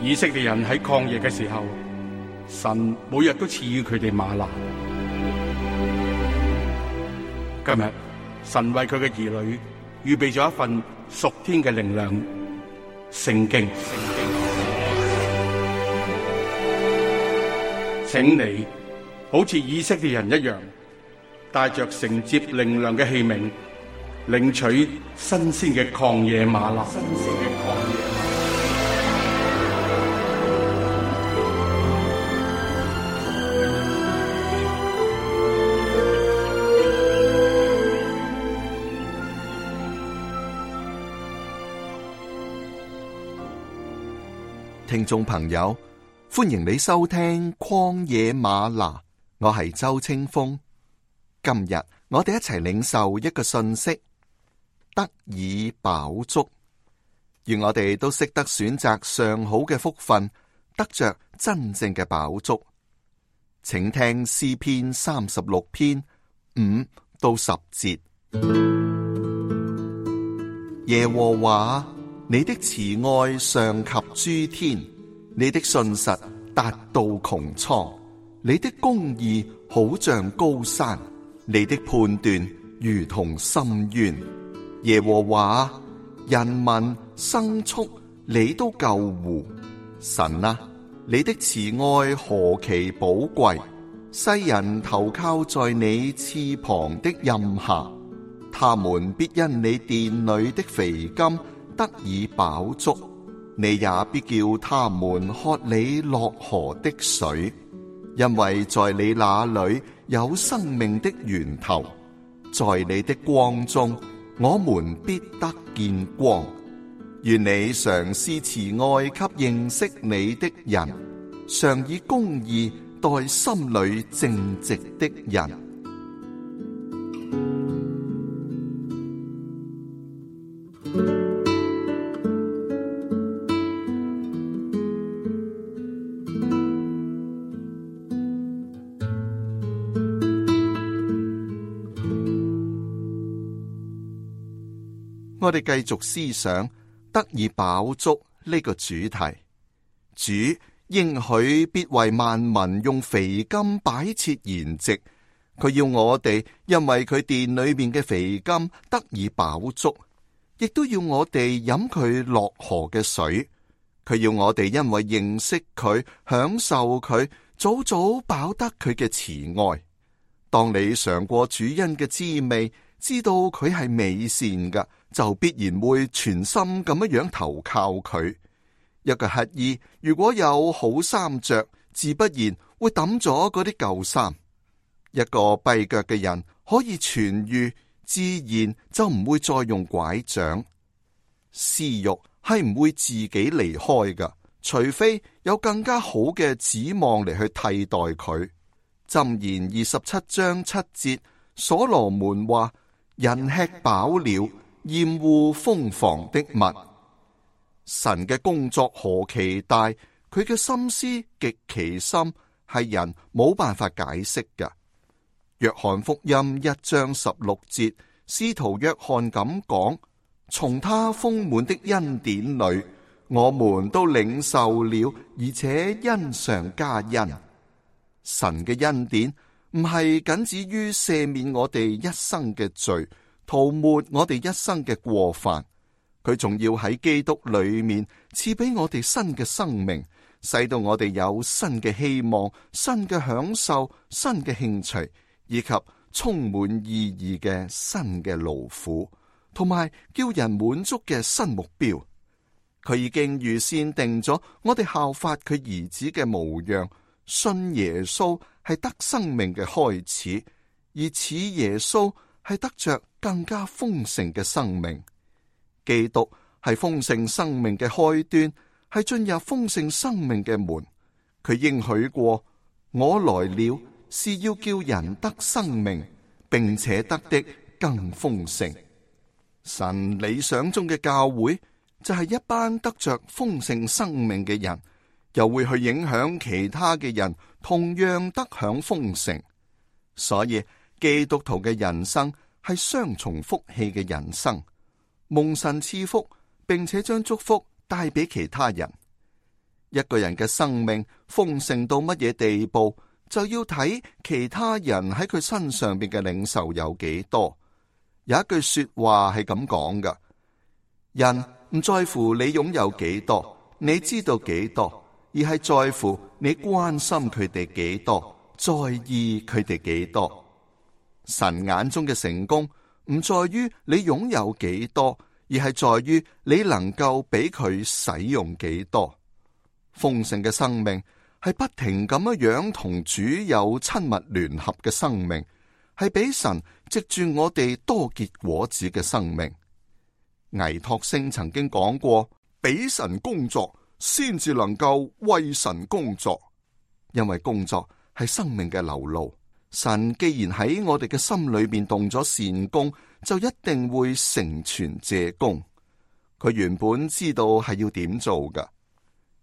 以色列人喺曠野嘅時候，神每日都賜予佢哋嗎哪。今日神為佢嘅兒女預備咗一份屬天嘅靈糧——聖經。請你好似以色列人一樣，帶着承接靈糧嘅器皿，領取新鮮嘅曠野嗎哪。聽眾朋友，歡迎你收聽曠野嗎哪，我係周清風。今日我哋一齊領受一個信息：得以飽足。願我哋都識得選擇上好嘅福分，得着真正嘅飽足。請聽詩篇36篇5到10節。耶和華，你的慈愛上及諸天，你的信實達到穹蒼，你的公義好像高山，你的判斷如同深淵。耶和華，人民牲畜你都救護。神啊，你的慈愛何其寶貴，世人投靠在你翅膀的蔭下，他們必因你殿裏的肥甘得以飽足，你也必叫他們喝你落河的水，因為在你那裏有生命的源頭，在你的光中我們必得見光。願你常施慈愛給認識你的人，常以公義待心裏正直的人。我哋繼續思想得以飽足呢個主題。主應許必為萬民用肥甘擺設筵席，佢要我哋因為佢殿裏面嘅肥甘得以飽足，亦都要我哋飲佢落河嘅水。佢要我哋因為認識佢、享受佢，早早飽得佢嘅慈愛。當你嘗過主恩嘅滋味，知道佢係美善嘅，就必然會全心咁樣投靠佢。一個乞衣如果有好衫着，自不然會抌咗嗰啲舊衫。一個跛腳嘅人可以痊愈，自然就唔會再用拐杖。私欲係唔會自己離開㗎，除非有更加好嘅指望嚟去替代佢。箴言27章7節，所羅門話：人吃飽了，厭惡風房的物。神嘅工作何其大，佢嘅心思極其深，係人冇辦法解釋嘅。約翰福音1章16節，使徒約翰咁講：從他豐滿的恩典裏，我們都領受了，而且恩上加恩。神嘅恩典唔係僅止於赦免我哋一生嘅罪，塗抹我哋一生嘅過犯，佢仲要喺基督裏面賜俾我哋新嘅生命，使到我哋有新嘅希望、新嘅享受、新嘅興趣，以及充滿意義嘅新嘅勞苦，同埋叫人滿足嘅新目標。佢已經預先定咗我哋效法佢兒子嘅模樣，信耶穌係得生命嘅開始，而似耶穌係得着更加豐盛嘅生命。基督係豐盛生命嘅開端，係進入豐盛生命嘅門。佢應許過：我來了，是要叫人得生命，並且得的更豐盛。神理想中嘅教會就係一班得着豐盛生命嘅人，又會去影響其他嘅人同樣得享豐盛。所以基督徒嘅人生係雙重福氣嘅人生，蒙神賜福，並且將祝福帶俾其他人。一個人嘅生命豐盛到乜嘢地步，就要睇其他人喺佢身上邊嘅領受有幾多。有一句說話係咁講㗎：人唔在乎你擁有幾多，你知道幾多，而係在乎你關心佢哋幾多，在意佢哋幾多。神眼中嘅成功唔在於你擁有幾多，而係在於你能夠俾佢使用幾多。豐盛嘅生命係不停咁樣同主有親密聯合嘅生命，係俾神藉住我哋多結果子嘅生命。倪柝聲曾經講過，俾神工作先至能夠為神工作，因為工作係生命嘅流露。神既然喺我哋嘅心裏邊動咗善工，就一定會成全這工。佢原本知道係要點做噶。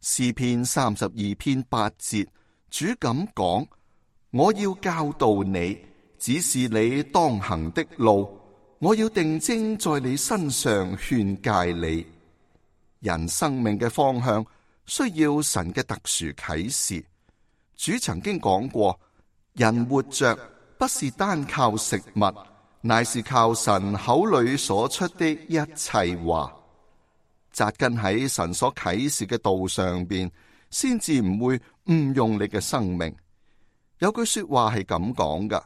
詩篇32篇8節，主咁講：我要教導你，指示你當行的路，我要定睛在你身上勸誡你。人生命嘅方向需要神嘅特殊啟示。主曾經講過，人活着不是單靠食物，乃是靠神口裏所出的一切話。扎根喺神所啟示嘅道上邊，先至唔會誤用你嘅生命。有句說話係咁講噶：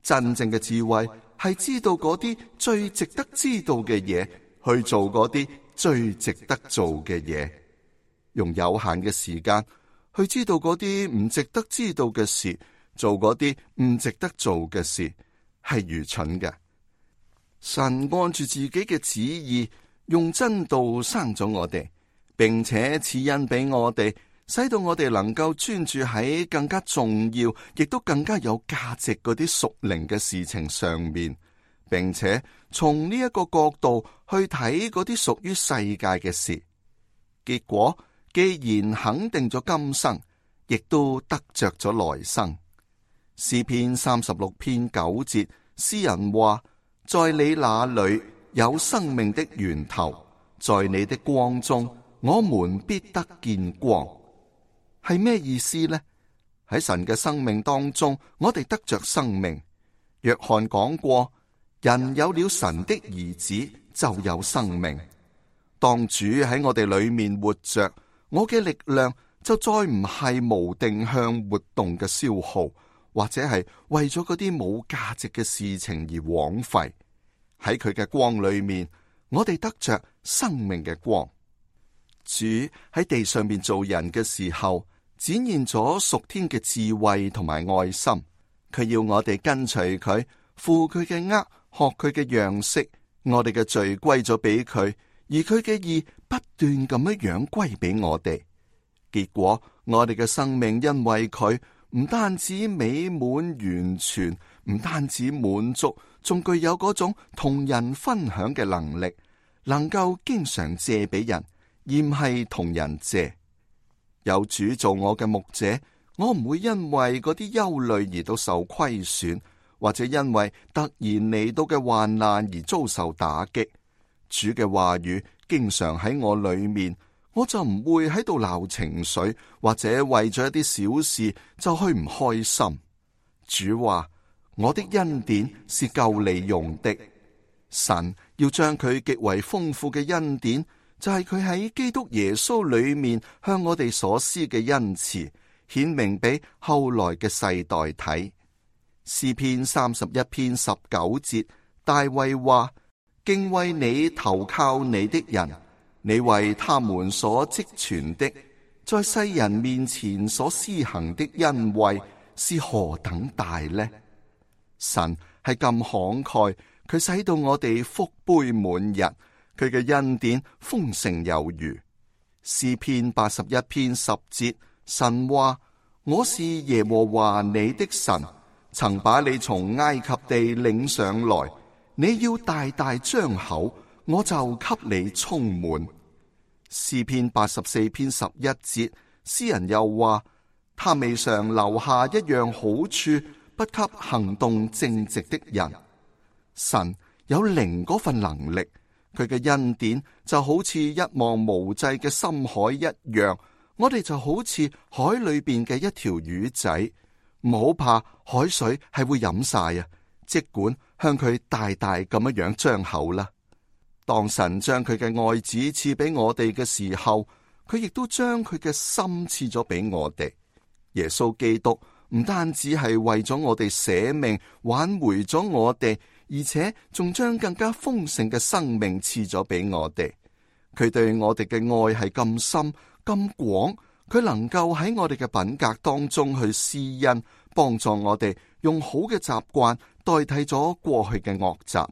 真正嘅智慧係知道嗰啲最值得知道嘅嘢，去做嗰啲最值得做嘅嘢。用有限嘅時間去知道嗰啲唔值得知道嘅事，做嗰啲唔值得做嘅事，係愚蠢嘅。神按住自己嘅旨意，用真道生咗我哋，並且賜恩俾我哋，使到我哋能夠專注喺更加重要，亦都更加有價值嗰啲屬靈嘅事情上面，並且從呢一個角度去睇嗰啲屬於世界嘅事。結果既然肯定咗今生，亦都得着咗來生。詩篇36篇9節，詩人話：在你那裏有生命的源頭，在你的光中，我們必得見光。係咩意思呢？喺神嘅生命當中，我哋得着生命。約翰講過，人有了神的兒子，就有生命。當主喺我哋裏面活着，我嘅力量就再唔係無定向活動嘅消耗，或者係為咗嗰啲冇價值嘅事情而枉費。喺佢嘅光裏面，我哋得着生命嘅光。主喺地上面做人嘅時候，展現咗屬天嘅智慧同埋愛心。佢要我哋跟隨佢，負佢嘅軛，學佢嘅樣式。我哋嘅罪歸咗俾佢，而佢嘅義不斷咁樣歸俾我哋。結果我哋嘅生命因為佢唔單止美滿完全，唔單止滿足，仲具有嗰種同人分享嘅能力，能夠經常借俾人，而唔係同人借。有主做我嘅牧者，我唔會因為嗰啲憂慮而到受虧損，或者因為突然嚟到嘅患難而遭受打擊。主嘅話語經常喺我裏面，我就唔會喺度鬧情緒，或者為咗一啲小事就去唔開心。主話：我的恩典是夠你用的。神要將佢極為豐富嘅恩典，就係佢喺基督耶穌裏面向我哋所施嘅恩慈，顯明俾後來嘅世代睇。詩篇31篇19節，大衛話：敬畏你投靠你的人，你為他們所積存的，在世人面前所施行的恩惠是何等大呢？神係咁慷慨，佢使到我哋福杯滿溢，佢嘅恩典豐盛有餘。詩篇81篇10節，神話：我是耶和華你的神，曾把你從埃及地領上來，你要大大張口，我就給你充滿。詩篇84篇11節，詩人又話：他未嘗留下一樣好處，不給行動正直的人。神有靈嗰份能力，佢嘅恩典就好似一望無際嘅深海一樣，我哋就好似海裏邊嘅一條魚仔，唔好怕海水係會飲晒啊！即管向佢大大咁樣張口啦。當神將佢嘅愛子賜俾我哋嘅時候，佢亦都將佢嘅心賜咗俾我哋。耶穌基督唔單止係為咗我哋捨命挽回咗我哋，而且仲將更加豐盛嘅生命賜咗俾我哋。佢對我哋嘅愛係咁深咁廣，佢能夠喺我哋嘅品格當中去施恩，幫助我哋用好嘅習慣代替咗過去嘅惡習。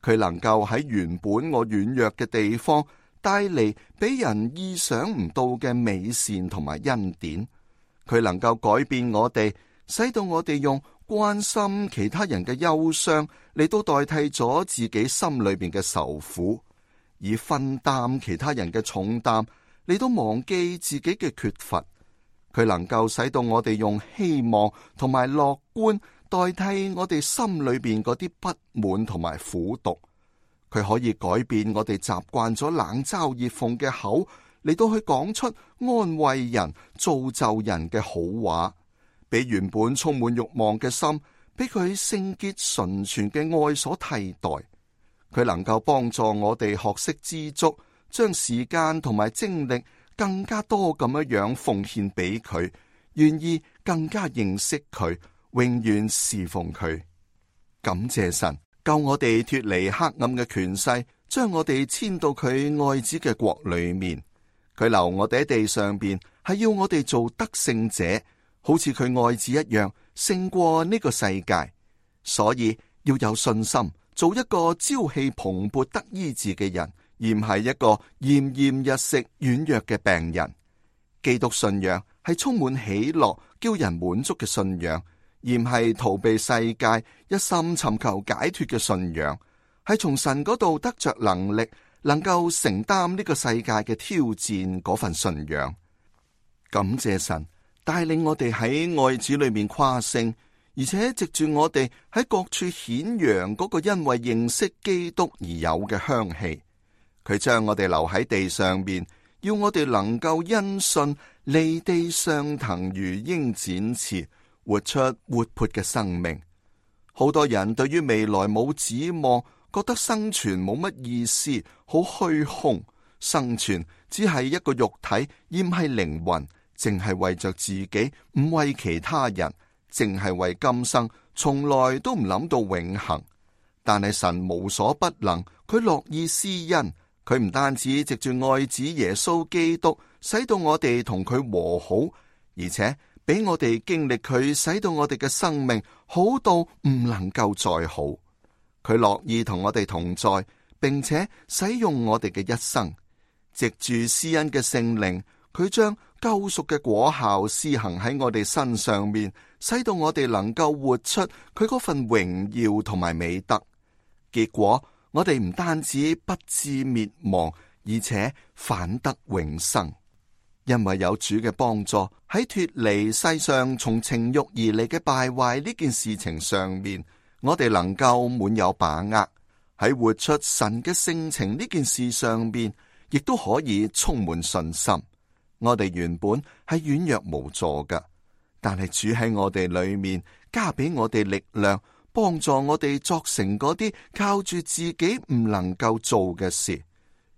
佢能夠喺原本我軟弱嘅地方帶嚟俾人意想唔到嘅美善同埋恩典。佢能夠改變我哋，使到我哋用關心其他人嘅憂傷嚟到代替咗自己心裏邊嘅愁苦，以分擔其他人嘅重擔嚟到忘記自己嘅缺乏。佢能夠使到我哋用希望同埋樂觀代替我哋心裏邊嗰啲不滿同埋苦毒。佢可以改變我哋習慣咗冷嘲熱諷嘅口，嚟到去講出安慰人、造就人嘅好話，俾原本充滿慾望嘅心，俾佢聖潔純全嘅愛所替代。佢能夠幫助我哋學識知足，將時間同埋精力更加多咁樣奉獻俾佢，願意更加認識佢，永遠侍奉佢。感謝神，救我哋脫離黑暗嘅權勢，將我哋遷到佢愛子嘅國裏面。佢留我哋喺地上邊，係要我哋做得勝者，好似佢愛子一樣，勝過呢個世界。所以要有信心，做一個朝氣蓬勃得醫治嘅人，而唔係一個奄奄一息軟弱嘅病人。基督信仰係充滿喜樂、叫人滿足嘅信仰，而唔係逃避世界、一心尋求解脫嘅信仰，係從神嗰度得着能力，能夠承擔呢個世界嘅挑戰嗰份信仰。感謝神帶領我哋喺愛子裏面誇勝，而且藉住我哋喺各處顯揚嗰個因為認識基督而有嘅香氣。佢將我哋留喺地上面，要我哋能夠因信離地上騰如鷹展翅，活出活潑嘅生命。好多人對於未來冇指望，覺得生存冇乜意思，好虛空。生存只係一個肉體，而唔係靈魂，淨係為着自己，唔為其他人，淨係為今生，從來都唔諗到永恆。但係神無所不能，佢樂意施恩。佢唔單止藉住愛子耶穌基督，使到我哋同佢和好，而且俾我哋經歷佢，使到我哋嘅生命好到唔能夠再好。佢樂意同我哋同在，並且使用我哋嘅一生，藉住施恩嘅聖靈，佢將救贖嘅果效施行喺我哋身上面，使到我哋能夠活出佢嗰份榮耀同埋美德。結果我哋唔單止不致滅亡，而且反得永生，因為有主嘅幫助，喺脫離世上從情欲而嚟嘅敗壞呢件事情上面，我哋能夠滿有把握。喺活出神嘅性情呢件事上邊，亦都可以充滿信心。我哋原本係軟弱無助㗎，但係主喺我哋裏面加俾我哋力量，幫助我哋作成嗰啲靠住自己唔能夠做嘅事。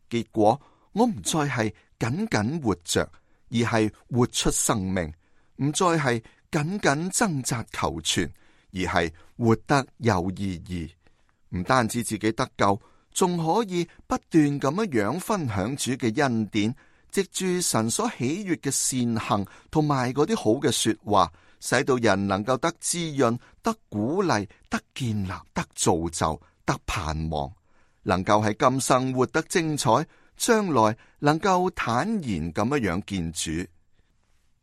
結果我唔再係僅僅活着，而係活出生命；唔再係僅僅掙扎求存，而係活得有意義。唔單止自己得救，仲可以不斷咁樣分享主嘅恩典，藉住神所喜悅嘅善行同埋嗰啲好嘅說話，使到人能夠得滋潤、得鼓勵、得建立、得造就、得盼望，能夠喺今生活得精彩，將來能夠坦然咁樣見主。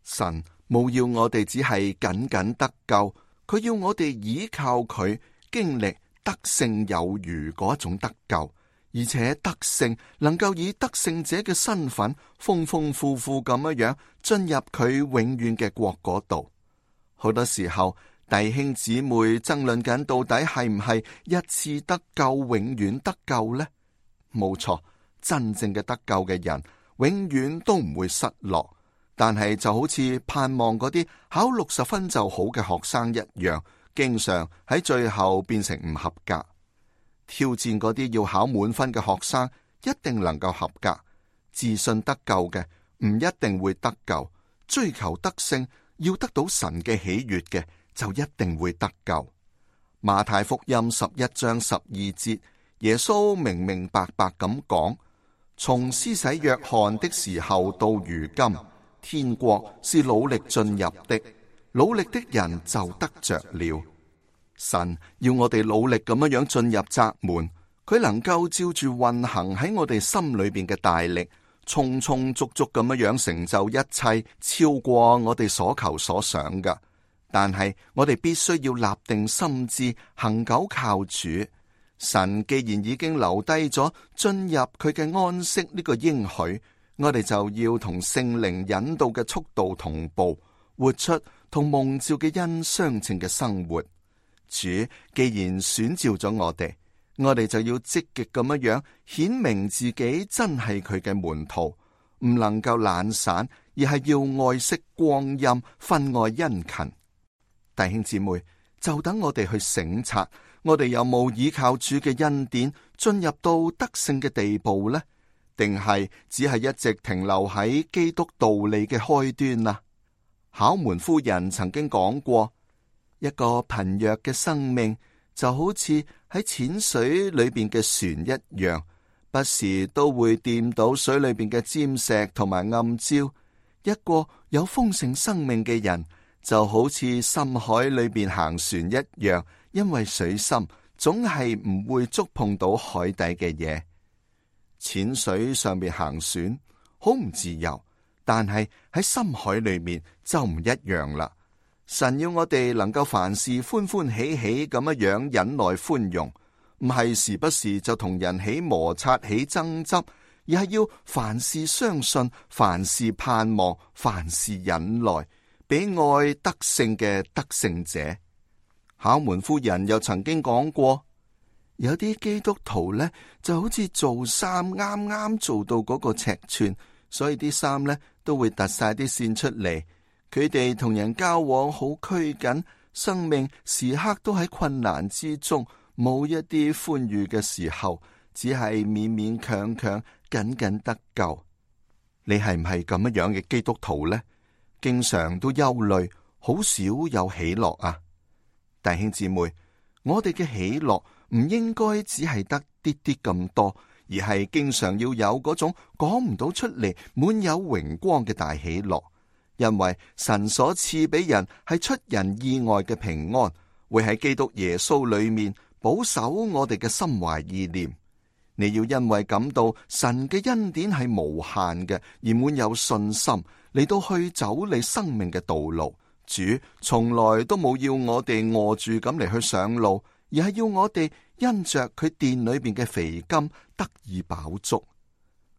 神冇要我哋只係僅僅得救，佢要我哋依靠佢，經歷得勝有餘嗰種得救，而且得勝能夠以得勝者嘅身份，豐豐富富咁樣進入佢永遠嘅國嗰度。好多時候，弟兄姊妹爭論緊到底係唔係一次得救永遠得救呢？冇錯，真正嘅得救嘅人永遠都唔會失落。但係就好似盼望嗰啲考60分就好嘅學生一樣，經常喺最後變成唔合格。挑戰嗰啲要考滿分嘅學生，一定能夠合格。自信得救嘅唔一定會得救，追求得勝要得到神嘅喜悅嘅就一定會得救。馬太福音11章12節，耶穌明明白白咁講：從施洗約翰的時候到如今，天國是努力進入的，努力的人就得着了。神要我哋努力咁樣進入窄門，佢能夠照住運行喺我哋心裏邊嘅大力，充充足足咁樣成就一切，超過我哋所求所想嘅。但係我哋必須要立定心志，恆久靠主。神既然已經留低咗進入佢嘅安息呢個應許，我哋就要同聖靈引導嘅速度同步，活出同蒙召嘅恩相稱嘅生活。主既然選召咗我哋就要積極咁樣顯明自己真係佢嘅門徒，唔能夠懶散，而係要愛惜光陰，分外殷勤。弟兄姊妹，就等我哋去省察，我哋有冇依靠主嘅恩典進入到得勝嘅地步呢？定係只係一直停留喺基督道理嘅開端啊？考門夫人曾經講過，一個貧弱嘅生命就好似喺淺水裏邊嘅船一樣，不時都會掂到水裏邊嘅尖石同埋暗礁。一個有豐盛生命嘅人就好似深海裏邊行船一樣，因為水深，總係唔會觸碰到海底嘅嘢。淺水上面行船好唔自由，但係喺深海裏面就唔一樣啦。神要我哋能夠凡事歡歡喜喜咁樣忍耐寬容，唔係時不時就同人起摩擦起爭執，而係要凡事相信，凡事盼望，凡事忍耐，比愛得勝嘅得勝者。考門夫人又曾經講過，有啲基督徒呢就好似做衫啱啱做到嗰個尺寸，所以啲衫呢都會突晒啲線出嚟。佢哋同人交往好拘謹，生命時刻都喺困難之中，冇一啲歡愉嘅時候，只係勉勉強強緊緊得救。你係唔係咁樣嘅基督徒呢？經常都憂慮，好少有喜樂啊！弟兄姊妹，我哋嘅喜樂唔應該只係得啲啲咁多，而係經常要有嗰種講唔到出嚟，滿有榮光嘅大喜樂。因為神所賜俾人係出人意外嘅平安，會喺基督耶穌裏面保守我哋嘅心懷意念。你要因為感到神嘅恩典係無限嘅，而滿有信心嚟到去走你生命嘅道路。主從來都冇要我哋餓住咁嚟去上路，而係要我哋因着佢殿裏邊嘅肥甘得以飽足。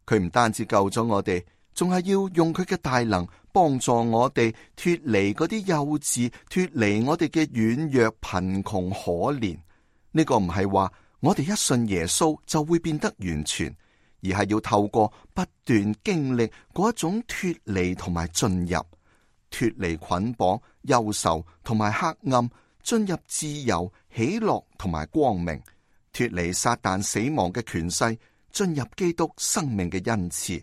佢唔單止救咗我哋，仲係要用佢嘅大能幫助我哋脫離嗰啲幼稚，脫離我哋嘅軟弱、貧窮、可憐。呢個唔係話我哋一信耶穌就會變得完全，而係要透過不斷經歷嗰一種脫離同埋進入，脫離捆綁、憂愁同埋黑暗，進入自由、喜樂同埋光明，脫離撒旦死亡嘅權勢，進入基督生命嘅恩賜。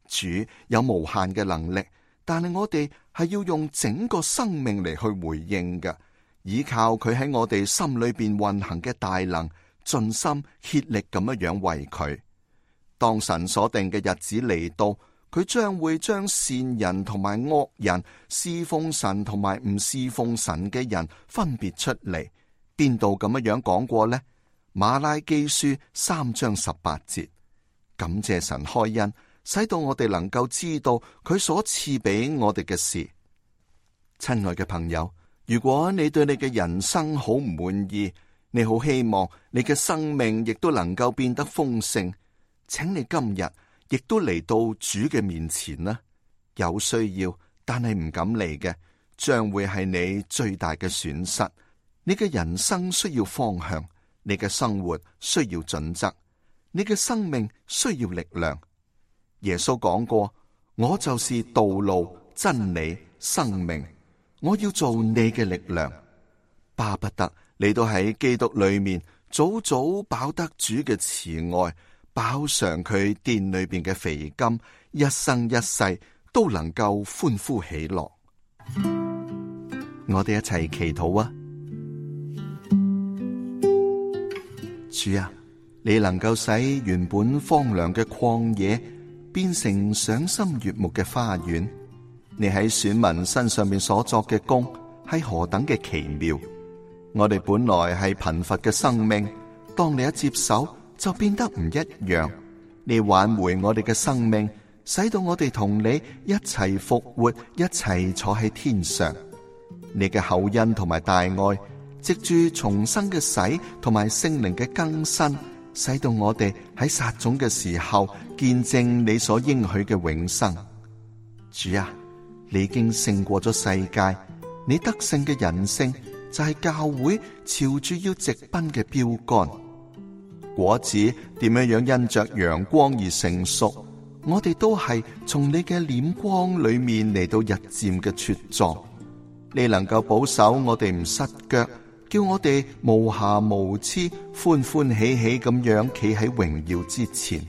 主有無限嘅能力，但係我哋係要用整個生命嚟去回應嘅，依靠佢喺我哋心裏邊運行嘅大能，盡心竭力咁樣為佢。當神所定嘅日子嚟到，佢將會將善人同埋惡人，侍奉神同埋唔侍奉神嘅人分別出嚟。邊度咁樣講過呢？馬拉基書3章18節。感謝神開恩，使到我哋能夠知道佢所賜俾我哋嘅事。親愛嘅朋友，如果你對你嘅人生好唔滿意，你好希望你嘅生命亦都能夠變得豐盛，請你今日亦都嚟到主嘅面前啦。有需要但係唔敢嚟嘅，將會係你最大嘅損失。你嘅人生需要方向，你嘅生活需要準則，你嘅生命需要力量。耶穌講過，我就是道路、真理、生命。我要做你嘅力量，巴不得你都喺基督裏面早早飽得主嘅慈愛，飽嘗佢殿裏邊嘅肥甘，一生一世都能夠歡呼喜樂。我哋一齊祈禱啊！主啊，你能夠使原本荒涼嘅曠野變成賞心悅目嘅花園，你喺選民身上面所作嘅工係何等嘅奇妙！我哋本來係貧乏嘅生命，當你一接手就變得唔一樣。你挽回我哋嘅生命，使到我哋同你一齊復活，一齊坐喺天上。你嘅厚恩同埋大愛，藉住重生嘅洗同埋聖靈嘅更新，使到我哋喺撒種嘅時候見證你所應許嘅永生。主啊，你已經勝過咗世界，你得勝嘅人性就係教會朝住要直奔嘅標杆。果子點樣因着陽光而成熟，我哋都係從你嘅臉光裏面嚟到日漸嘅茁壯。你能夠保守我哋唔失腳，叫我哋無瑕無疵、歡歡喜喜咁樣企喺榮耀之前。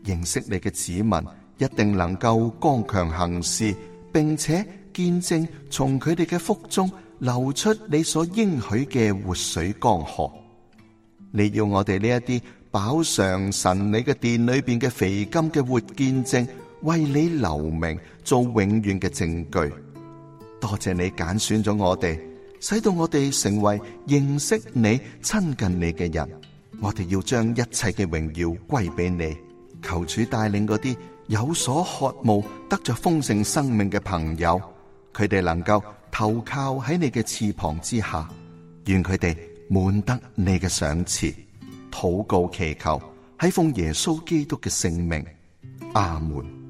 認識你嘅子民一定能夠剛強行事，並且見證從佢哋嘅腹中流出你所應許嘅活水江河。你要我哋呢一啲飽嘗神你嘅殿裏邊嘅肥甘嘅活見證，為你留名，做永遠嘅證據。多謝你揀選咗我哋，使到我哋成為認識你、親近你嘅人。我哋要將一切嘅榮耀歸俾你。求主帶領嗰啲有所渴慕得着豐盛生命嘅朋友，佢哋能夠投靠喺你嘅翅膀之下，願佢哋滿得你嘅賞賜。禱告祈求，係奉耶穌基督嘅聖名，阿門。